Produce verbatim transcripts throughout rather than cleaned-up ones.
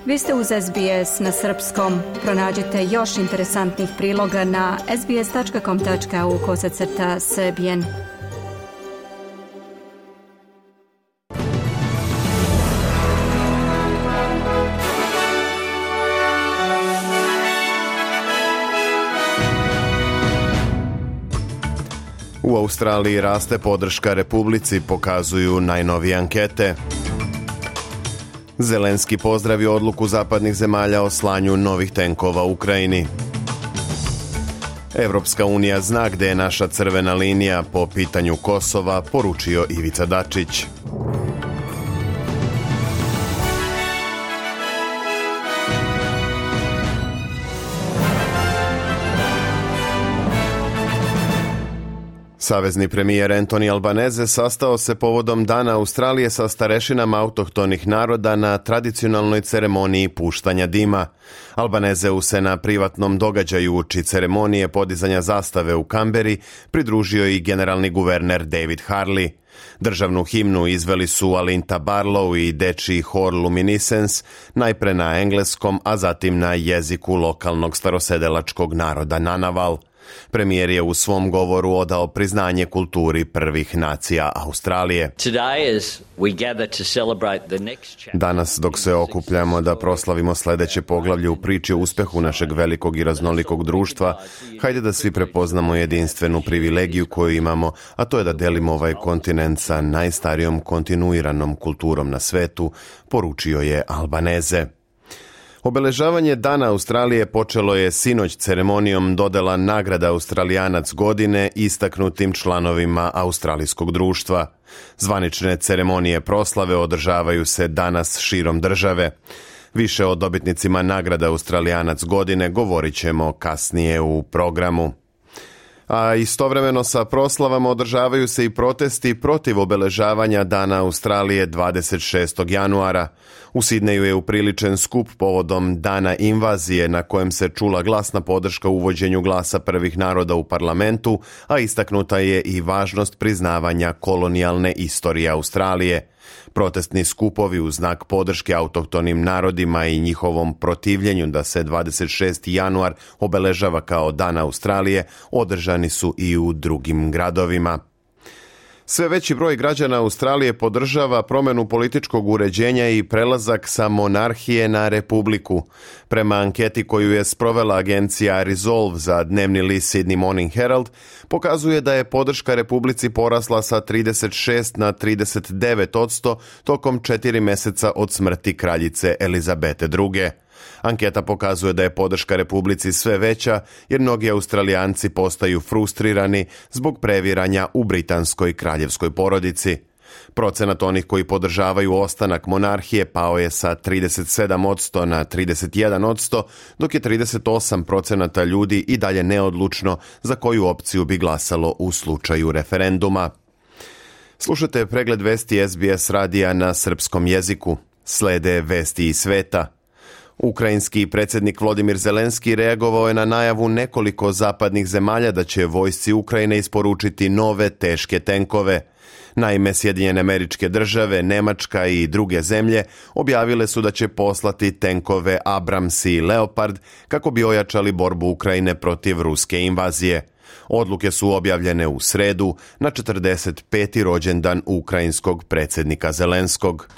Vi ste uz S B S na srpskom. Pronađite još interesantnih priloga na sbs.com.au kosacrta srbijen. U Australiji raste podrška Republici, pokazuju najnovije ankete. Zelenski pozdravio odluku zapadnih zemalja o slanju novih tenkova u Ukrajini. Evropska unija zna gde je naša crvena linija po pitanju Kosova, poručio Ivica Dačić. Savezni premijer Anthony Albanese sastao se povodom Dana Australije sa starešinama autohtonih naroda na tradicionalnoj ceremoniji puštanja dima. Albanezeu se na privatnom događaju uči ceremonije podizanja zastave u Kamberi pridružio i generalni guverner David Harley. Državnu himnu izveli su Alinta Barlow i dečiji hor Luminescence, najpre na engleskom, a zatim na jeziku lokalnog starosedelačkog naroda Nanaval. Premijer je u svom govoru odao priznanje kulturi prvih nacija Australije. Danas, dok se okupljamo da proslavimo sledeće poglavlje u priči o uspehu našeg velikog i raznolikog društva, hajde da svi prepoznamo jedinstvenu privilegiju koju imamo, a to je da delimo ovaj kontinent sa najstarijom kontinuiranom kulturom na svetu, poručio je Albanese. Obeležavanje Dana Australije počelo je sinoć ceremonijom dodela nagrada Australijanac godine istaknutim članovima australijskog društva. Zvanične ceremonije proslave održavaju se danas širom države. Više o dobitnicima nagrada Australijanac godine govorit ćemo kasnije u programu. A istovremeno sa proslavama održavaju se i protesti protiv obeležavanja Dana Australije dvadeset šestog januara. U Sidneju je upriličen skup povodom Dana invazije na kojem se čula glasna podrška uvođenju glasa prvih naroda u parlamentu, a istaknuta je i važnost priznavanja kolonijalne istorije Australije. Protestni skupovi u znak podrške autohtonim narodima i njihovom protivljenju da se dvadeset šesti januar obeležava kao Dan Australije održani su i u drugim gradovima. Sve veći broj građana Australije podržava promenu političkog uređenja i prelazak sa monarhije na republiku. Prema anketi koju je sprovela agencija Resolve za dnevni list Sydney Morning Herald, pokazuje da je podrška republici porasla sa trideset šest na trideset devet odsto tokom četiri meseca od smrti kraljice Elizabete druge. Anketa pokazuje da je podrška republici sve veća jer mnogi Australijanci postaju frustrirani zbog previranja u britanskoj kraljevskoj porodici. Procenat onih koji podržavaju ostanak monarhije pao je sa trideset sedam odsto na trideset jedan odsto, dok je trideset osam procenata ljudi i dalje neodlučno za koju opciju bi glasalo u slučaju referenduma. Slušate pregled vesti S B S radija na srpskom jeziku. Slede vesti iz sveta. Ukrajinski predsjednik Volodymyr Zelenski reagovao je na najavu nekoliko zapadnih zemalja da će vojsci Ukrajine isporučiti nove teške tenkove. Naime, Sjedinjene Američke Države, Nemačka i druge zemlje objavile su da će poslati tenkove Abrams i Leopard kako bi ojačali borbu Ukrajine protiv ruske invazije. Odluke su objavljene u sredu na četrdeset peti rođendan ukrajinskog predsjednika Zelenskog.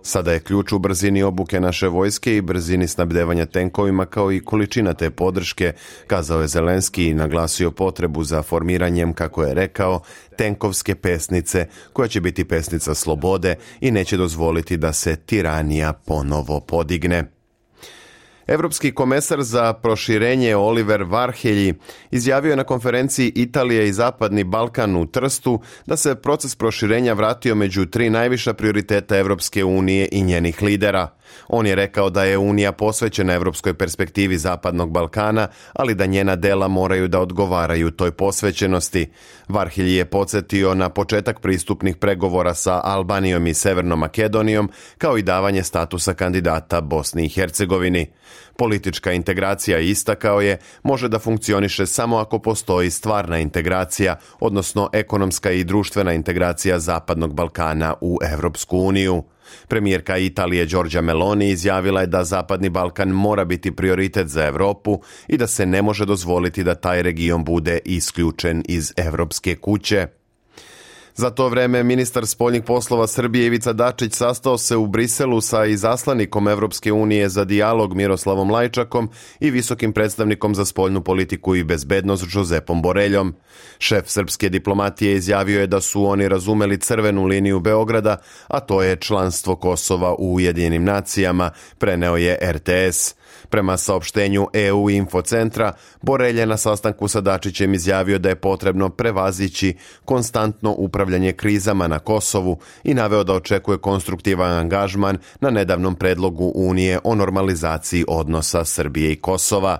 Sada je ključ u brzini obuke naše vojske i brzini snabdevanja tenkovima kao i količina te podrške, kazao je Zelenski i naglasio potrebu za formiranjem, kako je rekao, tenkovske pesnice koja će biti pesnica slobode i neće dozvoliti da se tiranija ponovo podigne. Evropski komesar za proširenje Oliver Varhelyi izjavio je na konferenciji Italije i Zapadni Balkan u Trstu da se proces proširenja vratio među tri najviša prioriteta Evropske unije i njenih lidera. On je rekao da je Unija posvećena evropskoj perspektivi Zapadnog Balkana, ali da njena dela moraju da odgovaraju toj posvećenosti. Varhelyi je podsjetio na početak pristupnih pregovora sa Albanijom i Severnom Makedonijom, kao i davanje statusa kandidata Bosni i Hercegovini. Politička integracija, istakao je, može da funkcioniše samo ako postoji stvarna integracija, odnosno ekonomska i društvena integracija Zapadnog Balkana u Evropsku uniju. Premijerka Italije Giorgia Meloni izjavila je da Zapadni Balkan mora biti prioritet za Evropu i da se ne može dozvoliti da taj region bude isključen iz evropske kuće. Za to vreme ministar spoljnih poslova Srbije Ivica Dačić sastao se u Briselu sa izaslanikom Evropske unije za dijalog Miroslavom Lajčakom i visokim predstavnikom za spoljnu politiku i bezbednost Josepom Boreljom. Šef srpske diplomatije izjavio je da su oni razumeli crvenu liniju Beograda, a to je članstvo Kosova u Ujedinjenim nacijama, preneo je er te es. Prema saopštenju E U Infocentra, Borelj je na sastanku sa Dačićem izjavio da je potrebno prevazići konstantno upravljanje krizama na Kosovu i naveo da očekuje konstruktivan angažman na nedavnom predlogu Unije o normalizaciji odnosa Srbije i Kosova.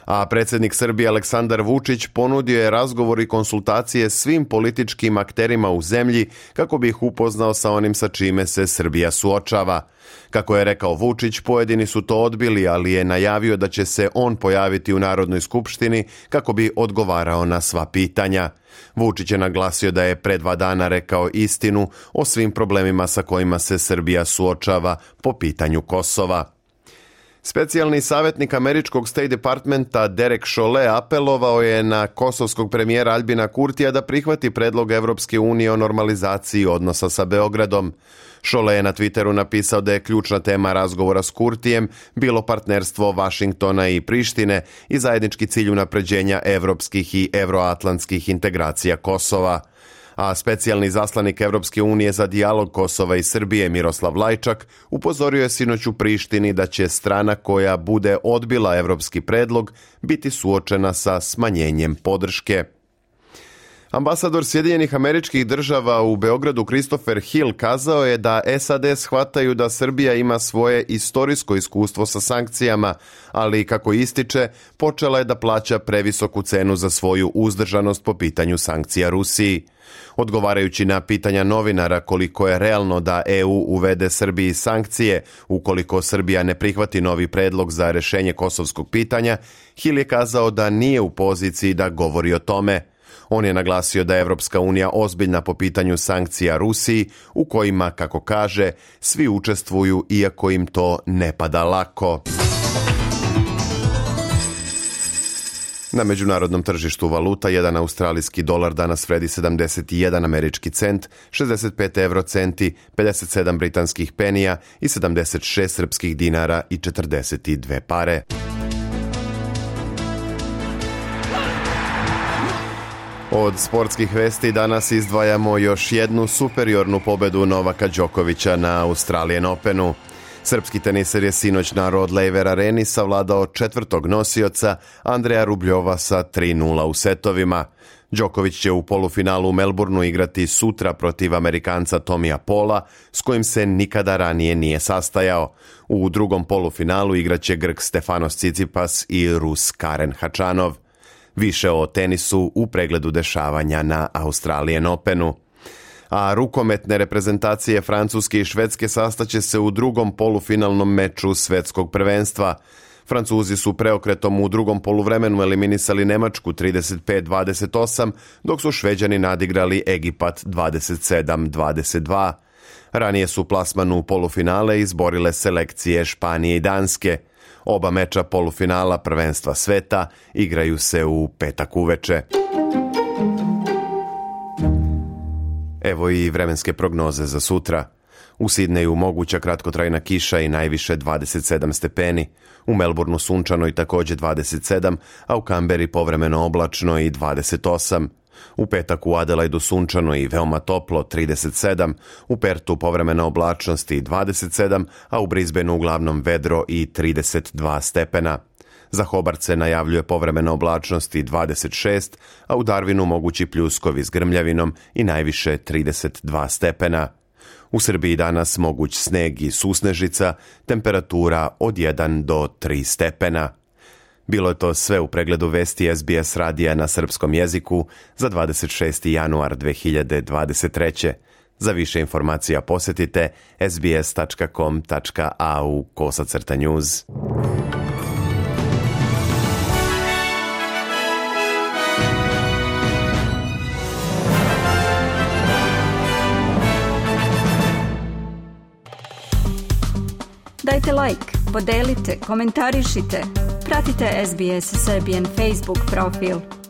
A predsjednik Srbije Aleksandar Vučić ponudio je razgovor i konsultacije svim političkim akterima u zemlji kako bi ih upoznao sa onim sa čime se Srbija suočava. Kako je rekao Vučić, pojedini su to odbili, ali je najavio da će se on pojaviti u Narodnoj skupštini kako bi odgovarao na sva pitanja. Vučić je naglasio da je pre dva dana rekao istinu o svim problemima sa kojima se Srbija suočava po pitanju Kosova. Specijalni savjetnik američkog State Departmenta Derek Chollet apelovao je na kosovskog premijera Albina Kurtija da prihvati predlog Evropske unije o normalizaciji odnosa sa Beogradom. Chollet je na Twitteru napisao da je ključna tema razgovora s Kurtijem bilo partnerstvo Vašingtona i Prištine i zajednički cilj unapređenja evropskih i evroatlantskih integracija Kosova. A specijalni zaslanik Evropske unije za dijalog Kosova i Srbije Miroslav Lajčak upozorio je sinoć u Prištini da će strana koja bude odbila evropski predlog biti suočena sa smanjenjem podrške. Ambasador Sjedinjenih Američkih Država u Beogradu Christopher Hill kazao je da es a de shvataju da Srbija ima svoje istorijsko iskustvo sa sankcijama, ali kako ističe, počela je da plaća previsoku cenu za svoju uzdržanost po pitanju sankcija Rusiji. Odgovarajući na pitanja novinara koliko je realno da E U uvede Srbiji sankcije ukoliko Srbija ne prihvati novi predlog za rešenje kosovskog pitanja, Hill je kazao da nije u poziciji da govori o tome. On je naglasio da je Evropska unija ozbiljna po pitanju sankcija Rusiji, u kojima, kako kaže, svi učestvuju iako im to ne pada lako. Na međunarodnom tržištu valuta jedan australijski dolar danas vredi sedamdeset jedan američki cent, šezdeset pet evrocenti, pedeset sedam britanskih penija i sedamdeset šest srpskih dinara i četrdeset dve pare. Od sportskih vesti danas izdvajamo još jednu superiornu pobedu Novaka Đokovića na Australian Openu. Srpski teniser je sinoć na Rod Laver Areni savladao četvrtog nosioca Andreja Rubljova sa tri nula u setovima. Đoković će u polufinalu u Melbourneu igrati sutra protiv Amerikanca Tomija Paula, s kojim se nikada ranije nije sastajao. U drugom polufinalu igraće Grk Stefanos Tsitsipas i Rus Karen Hačanov. Više o tenisu u pregledu dešavanja na Australian Openu. A rukometne reprezentacije Francuske i Švedske sastaće se u drugom polufinalnom meču svetskog prvenstva. Francuzi su preokretom u drugom poluvremenu eliminisali Nemačku trideset pet dvadeset osam, dok su Šveđani nadigrali Egipat dvadeset sedam dvadeset dva. Ranije su plasman u polufinale izborile selekcije Španije i Danske. Oba meča polufinala prvenstva sveta igraju se u petak uveče. Evo i vremenske prognoze za sutra. U Sidneju moguća kratkotrajna kiša i najviše dvadeset sedam stepeni. U Melbourneu sunčano i također dvadeset sedam, a u Kamberi povremeno oblačno i dvadeset osam. U petak u Adelaidu sunčano i veoma toplo trideset sedam, u Pertu povremena oblačnost i dvadeset sedam, a u Brisbaneu uglavnom vedro i trideset dva stepena. Za Hobart se najavljuje povremena oblačnost i dvadeset šest, a u Darwinu mogući pljuskovi s grmljavinom i najviše trideset dva stepena. U Srbiji danas moguć sneg i susnežica, temperatura od jedan do tri stepena. Bilo je to sve u pregledu vesti Es Be Es radija na srpskom jeziku za dvadeset šesti januar dve hiljade dvadeset treće. Za više informacija posjetite es be es tačka com tačka a u kosacrta news. Dajte like, podelite, komentarišite. Pratite S B S Serbian Facebook profil.